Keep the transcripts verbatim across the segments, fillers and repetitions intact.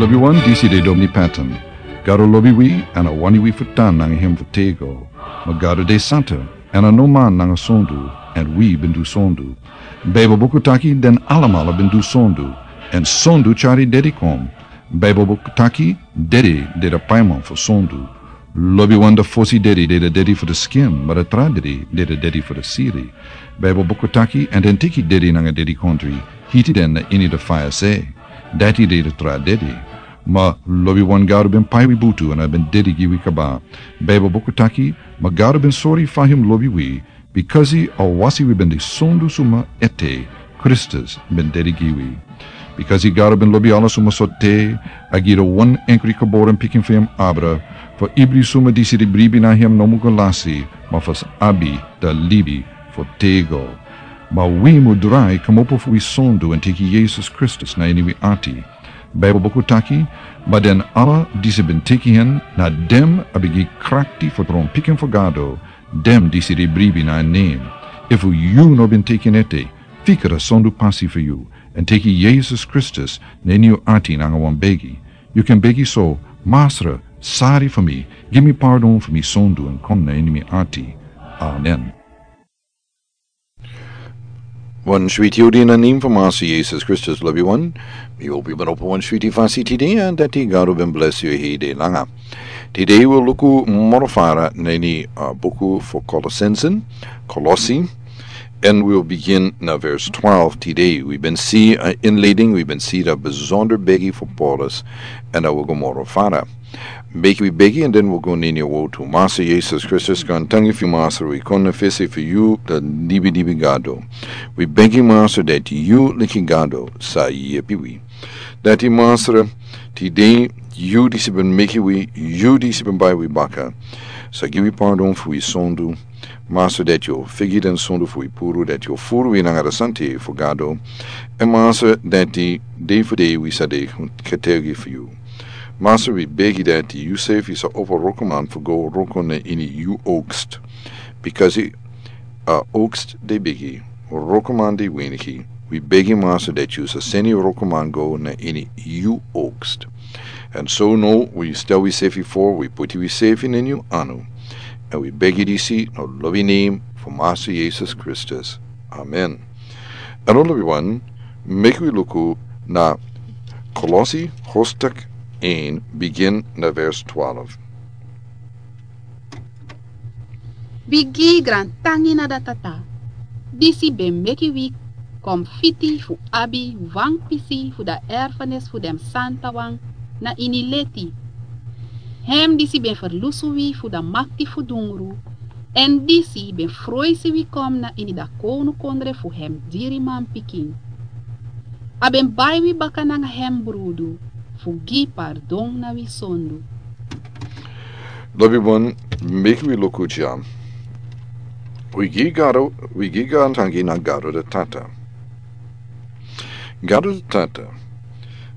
Lobiwan, disi de Domini Patton. Gado lobi wi, èn a wani wi fu tan nanga hem fu tego. Ma Gado de santa, èn a no man nanga sondu, èn wi ben du sondu. Baibel buku taki den alamala ben du sondu, èn sondu tyari dedi kon. Baibel buku taki dedi de da paiman fu sondu. Lobiwan, da fosi dedi de da dedi fu da skin, ma da tra dedi de da dedi fu da siri. Baibel buku taki, èn den teki dedi nanga dedikondri, hiti den na ini da faya se. Dati de da tra dedi. Ma lobiwan, Gado ben pai wi butu èn a ben dedi gi wi kaba. Baibel buku taki, ma Gado ben sori fa hem lobi wi, bikasi a wasi wi ben de sondu suma ete, Kristus ben dedi gi wi. Bikasi Gado ben lobi ala suma so te, a gi da wan enkri geboren pikin fu hem abra, fu ibri suma disi de bribi na hem no mu go lasi, ma fu sa abi da libi fu tego. Ma wi mu drai kmopo fu wi sondu èn teki Yesus Kristus na ini wi ati. Baibel buku taki, ma den ala disi ben teki hen, na dem a ben gi krakti fu tron pikin fu Gado, dem disi de bribi na en nem. Efu yu no ben teki en ete, fika da sondu pasi fu yu, èn teki Yesus Kristus na ini yu ati nanga wan begi. Yu kan begi so: Masra, sari fu mi, gi mi pardon fu mi sondu èn kon na ini mi ati. Amen. Wan switi odi na nem fu Masra Yesus Kristus, lobiwan. Mi hopi ben opo wan switi fasi tide, èn dati Gado ben blesi yu hei de langa. Tide wi o luku moro fara na ini, uh, buku fu Kolosensen, Kolosi, and we will begin na verse twelve tide. Wi ben si, uh, inleiding, wi ben si da besonder begi fu Paulus, èn a wi o go moro fara. Meki wi begi, èn den wi o go na ini a wotu. Masra Yesus Kristus, grantangi fu yu, Masra, wi kon na fesi fu yu, da libi libi Gado. Wi begi, Masra, dati yu leki Gado sa yepi wi. Dati, Masra, tide yu disi ben meki wi, yu disi ben bai wi baka, sa gi wi pardon fu wi sondu. Masra, dati yu o figi den sondu fu wi puru, dati yu o furu wi nanga da santei fu Gado. Èn Masra, dati dei fu dei wi sa de getuigi fu yu. Masra, wi begi dati yu sefi sa opo wrokoman fu go wroko na ini yu oogst. Bikasi a oogst de bigi, wrokoman de winiki. Wi begi, Masra, dati yu sa seni wrokoman go na ini yu oogst. Èn so now wi stel wi sefi for, wi puti wi sefi na ini yu anu. Èn wi begi disi na lobi nem fu Masra Yesus Kristus. Amen. Èn now, lobiwan, meki wi luku na Kolosi hoofdstuk een, begin na vers twaalf. Wi gi grantangi na da Tata, disi ben meki wi kon fiti fu abi wan pisi fu da erfenis fu den santawan na ini leti. Hem disi ben ferlusu wi fu da makti fu dungru, èn disi ben froisi wi kon na ini da kownukondre fu hem diri manpikin. A ben bai wi baka nanga hem brudu, fu gi pardon na wi sondu. Lobiwan, meki wi luku dya. Wi gi Gado, wi gi grantangi na Gado da Tata. Gado da Tata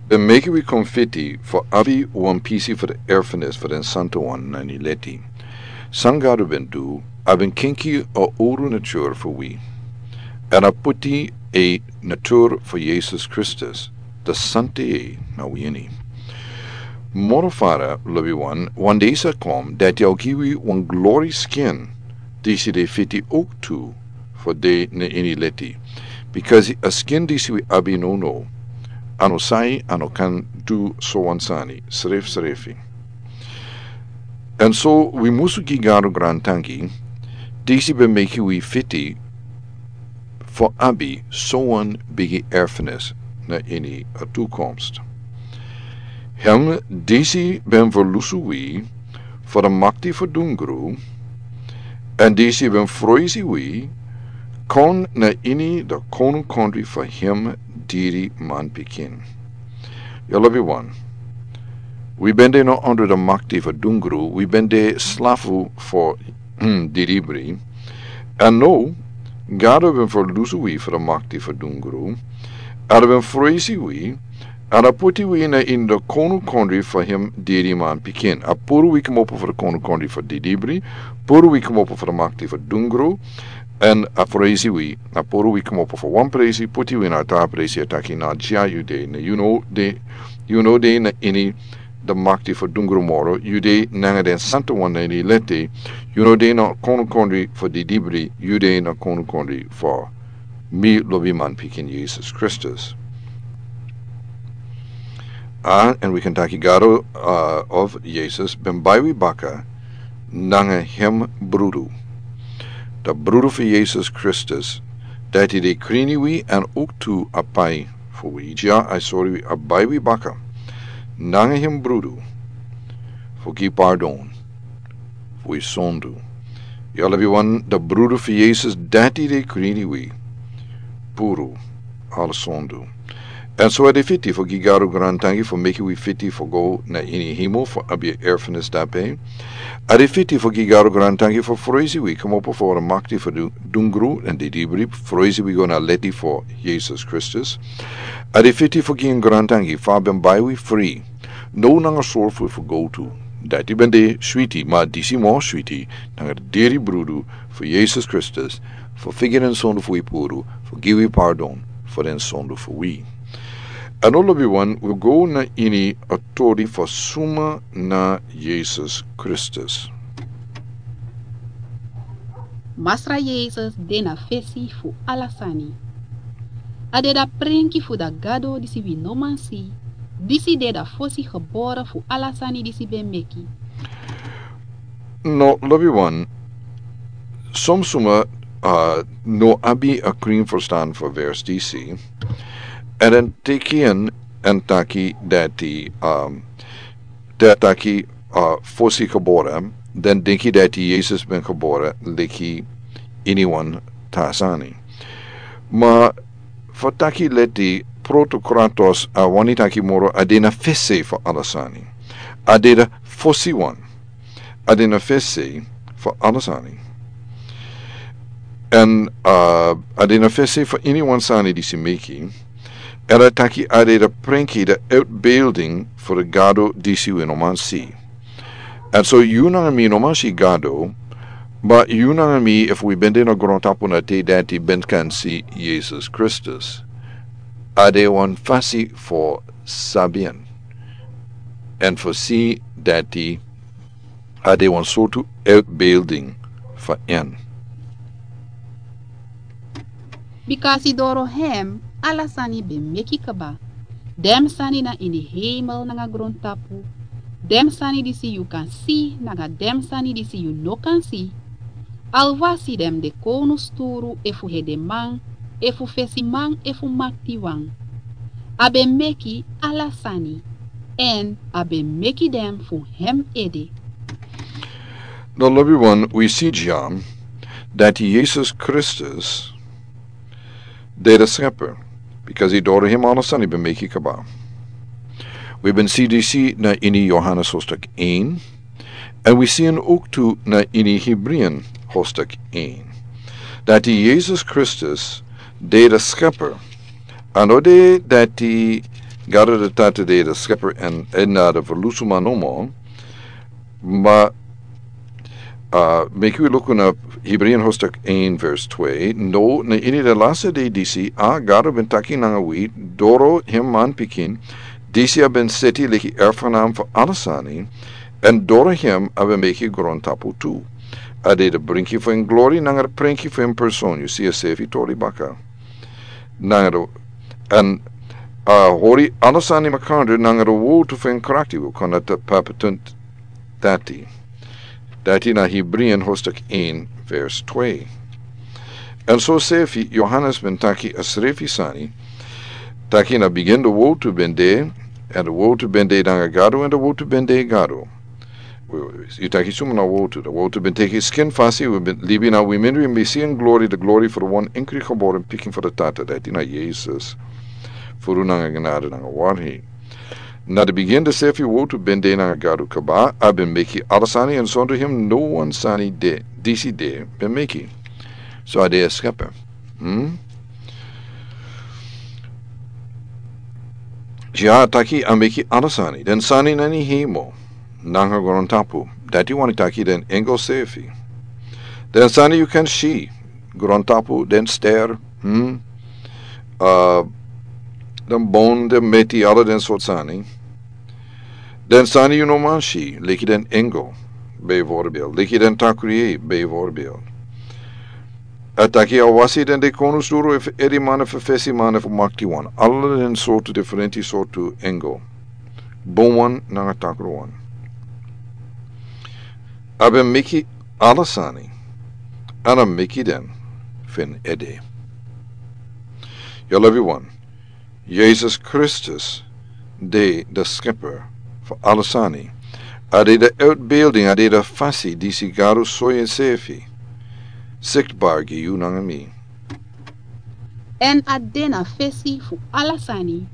ben meki wi kon fiti fu abi wan pisi fu da erfenis fu den santawan na ini leti. San Gado ben du, a ben kenki a owru natur fu wi, èn a puti a natur fu Yesus Kristus, da santei, na wi ini. Moro fara, lobiwan, wan dei sa kon dati a o gi wi wan glori skin, disi de fiti ook tu fu de na ini leti. Bikasi a skin disi wi abi nownow, a no sai, a no kan du so wan sani srefsrefi. Èn so wi musu gi Gado grantangi, disi ben meki wi fiti fu abi so wan bigi erfenis na ini a toekomst. Hem disi ben ferlusu wi fu da makti fu dungru, èn disi ben froisi wi kon na ini da kownukondre fu hem diri manpikin. Ya, lobiwan, wi ben de no ondro da makti fu dungru, wi ben de slafu fu, hmm, didibri. Èn now, Gado ben ferlusu wi fu da makti fu dungru, èn a ben froisi wi, èn a puti wi na ini da kownukondre fu hem diri manpikin. A puru wi kmopo fu da kownukondre fu didibri, puru wi kmopo fu da makti fu dungru, èn a froisi wi, a puru wi kmopo fu wan presi, puti wi na a tra presi, a taki: Na dya yu de, na yu no de yu no de na ini de makti fu dungru moro, yu de nanga den santa wan na ini leti, yu no de na konukondri fu didibri, yu de na konukondri fu mi lobi man pikin Jesus Kristus. A, and we can taki gado, uh, of Jesus, ben bai wi baka, nanga hem brudu. De brudu fu Jesus Kristus, dati de krini wi en uktu a pai fu wi. Ja, I sorry, a bai wi baka. Nanga hem brudu, fu gi pardon fu wi sondu. Ya lobi wan, de brudu fu Jesus, dati de krini wi puru ala sondu. En so a de fiti fu gi gado grantangi fu meki wi fiti fu go na ini himo fu abi a erfenis dape. A de fiti fu gi gado grantangi fu froisi wi komopo fu ora makti fu du-, dungru en didibri, froisi wi go na leti fu Jesus Kristus. A de fiti fu gi en grantangi fu a ben bai wi fri. No nanga sorfu fu go tu. Dati ben de switi, ma disi mo switi, nanga diri brudu fu Jesus Kristus, fu figi den sondu fu wi puru, fu gi wi pardon fu den sondu fu wi. A no lobi wan, wi go na ini a tori fu suma na Jesus Kristus. Masra Jesus de na fesi fu ala sani. A de da prenki fu da Gado disi wi no man si, disi de da fosi gebore fu ala sani disi ben meki. No, lobi wan, son suma, uh, no abi a krin ferstan fu vers disi, en den teki en, en taki dati, um, den taki, uh, fosi gebore, den denki dati Jesus ben gebore leki iniwan tra sani. Ma fu taki leti protokratos, a wani taki moro a de na fesi fu ala sani. A de da fosi wan. A de na fesi fu ala sani. En, uh, a de na fesi fu iniwan sani disi meki. En a taki a de da prenki, da uitbeelding fu da Gado disi wi no man si. En so yu nanga mi no man si Gado, ma yu nanga mi, efu wi ben de na grontapu na te dati, ben kan si Jesus Kristus. A de wan fasi fu sabi en. En fu si dati a de wan sortu uitbeelding fu en. Bikasi doro hem ala sani ben meki kaba. Den sani na ini hemel nanga grontapu. Den sani disi yu kan si nanga den sani disi yu no kan si. Alwasi den de konu sturu efu hedeman, efu fesiman, efu maktiwan. A ben meki ala sani. En a ben meki den fu hem ede. No, lobi wan, wi si dya dati Jesus Kristus de da Scheper, bikasi doro hem ala sani ben meki kaba. Wi ben si disi na ini Johannes hoofdstuk een, en wi si en ook tu na ini Hebreeën hoofdstuk een. Dati Jesus Kristus de da Scheper. A no de dati Gado da Tata de da Scheper en, en na da verlusuma nomo. Ma, uh, meki wi luku na Hebreeën hoofdstuk een vers twee. No, na ini da laste dei disi, a Gado ben taki nanga wi, doro hem man pikin, disi a ben seti leki erfgenaam fu ala sani, en doro hem a ben meki grontapu tu. A de da brinki fu en glori nanga da prenki fu en person, yu si a sefi tori baka. Nanga da, en, uh, hori ala sani makandra nanga da wortu fu en krakti, wi kon na da papetun dati. Dati na Hebreeën hoofdstuk een vers twee. En so sefi Johannes ben taki a srefi sani, taki na bigin da wortu ben de, en da wortu ben de nanga Gado, en da wortu ben de Gado. Yu taki suma na wortu, da wortu ben teki skin fasi, wi ben libi na wi mindri, en wi si en glori, da glori fu da wan enkri geboren pikin fu da Tata, dati na Jesus. Furu nanga genade nanga warheid. Na da bigin da sefi wortu ben de nanga Gado kaba, a ben meki ala sani, en sondu hem no wan sani de, disi de, ben meki. So a de a Scheper. Hmm? Dya taki a meki ala sani, den sani na ini hemel nanga grontapu. Dati wani taki den engel sefi. Den sani yu kan si, grontapu, den ster, hmm? Uh, den bon, den meti, ala den sort sani. Den sani yu no man si, leki den engel, bijvoorbeeld, leki den takru yeye, bijvoorbeeld. A taki a wasi den dekonus duru efu eri mane fu fesi mane fu makti wan. Ala den sortu diferenti sortu engel. Bun wan nanga takru wan. A ben meki ala sani. Èn a meki den fu en ede. Yu lobi wan. Yesus Kristus de de skepper fu ala sani. A de de uitbeelding, a de de fasi disi Gado soi ensefi. Siktbar gi yu nanga mi. Èn a de na fesi fu ala sani.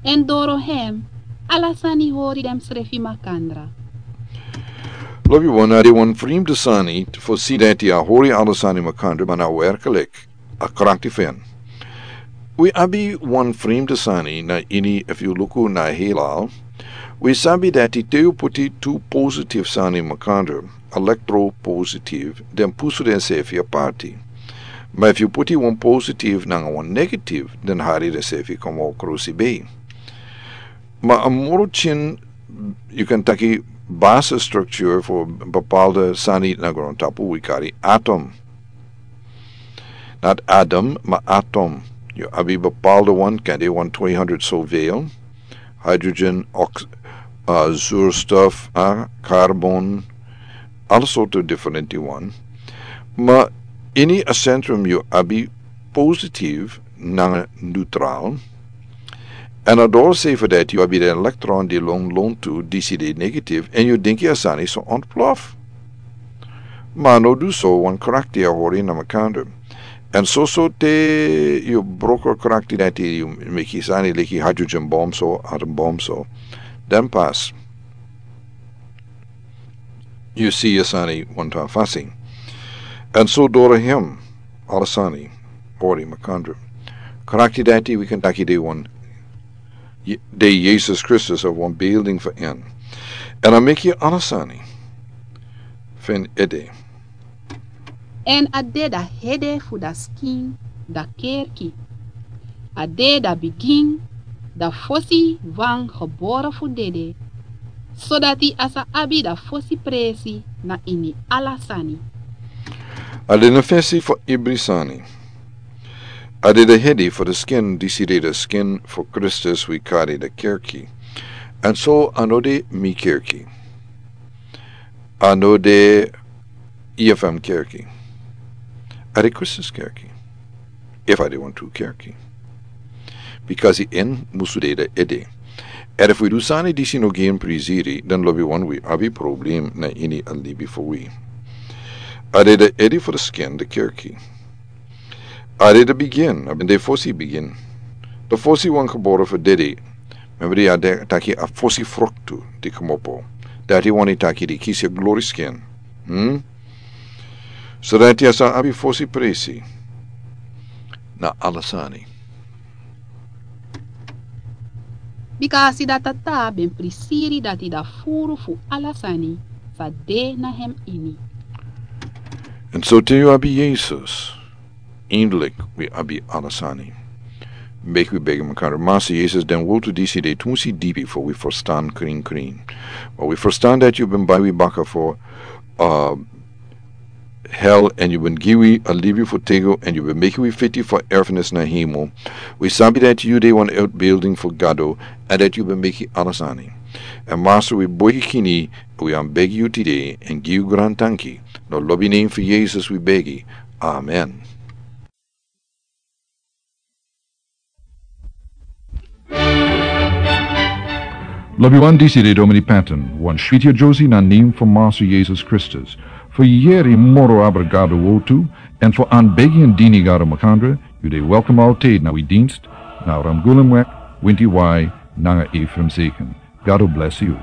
Èn doro hem, ala sani hori densrefi makandra. Lobi wan, a de wan fremde sani fu si dati a hori ala sani makandra, ma na werkelijk a krakti fu en. Wi abi wan fremde sani na ini, efu yu luku na heelal. Wi sabi dati te yu puti tu positive sani makandra, elektropositive, den pusu densefi aparti. Ma efu yu puti wan positive nanga wan negative, den hari densefi komo krusi bei. Ma a moro kin, yu kan taki, basisstructuur fu bepaalde sani na grontapu wi kari atom. Not atom, ma atom. Yu abi bepaalde wan, kan de wan tweehonderd zoveel. Hydrogen, ox-, uh, zuurstof, uh, carbon, alle sortu diferenti wan. Ma ini a centrum yu abi positief nanga neutraal. Èn a doro sefi dati yu abi den elektron di lon lontu, disi de negatief, èn yu denki a sani so ontplof. Ma a no du so, wan krakti a hori na makandra. Èn soso te yu broko krakti dati yu meki sani leki hydrogen bom so, atom bom so. Dan pas yu si a sani wan tra fasi. Èn so doro hem, ala sani hori makandra. Krakti dati wi kan taki de wan, de Yesus Kristus a wan beelding fu en. Èn a meki ala sani fu en ede. Èn a de da hede fu da skin, da kerki. A de da bigin, da fosi wan gebore fu dede, sodati a sa abi da fosi presi na ini ala sani. A de na fesi fu ibri sani. A de da hede fu da skin, disi de da skin fu Kristus wi kari da kerki. Èn so a no de mi kerki. A no de E F M kerki. A de Kristus kerki. Efu a de wan tru kerki. Bikasi en musu de da ede. Èn efu wi du sani disi no gi en prisiri, dan lobi wan wi abi problem na ini a libi fu wi. A de da ede fu da skin, da kerki. A de da bigin, a ben de fosi bigin. Da fosi wan gebore fu dede. Membri a de taki a fosi fruktu di komopo. Dati wani taki di kisi a glori skin. Hmm? Sodati a sa abi fosi presi na ala sani. Bikasi da tata ben prisiri dati da furu fu ala sani sa de na hem ini. Èn so te yu abi Yesus, eindelijk wi abi ala sani. Meki wi begi makandra, Massa Yesus, den wortu disi de tumsi dipi fu wi ferstan krin krin. Ma wi ferstan dati yu ben bai wi baka fu, uh, hel, èn yu ben gi wi a libi fu têgo, èn yu ben meki wi fiti fu erfenis na hemel. Wi sabi dati yu de wan uitbeelding fu Gado, èn dati yu ben meki ala sani. Èn Massa, wi boi yu kini, wi anbegi yu tide, èn gi yu grantanki. Na lobi nen fu Yesus wi begi. Amen. Lobi wan, disi de Domini Patton, wan switi a Josie na nen fu Massa Yesus Kristus. Fu yeri moro abra Gado wortu, èn fu anbegi èn dini Gado makandra, yu de welkom altijd na wi dienst, na Ramgulumweg, Winti Wai, nanga Ephraim Zeken. Gado bless yu.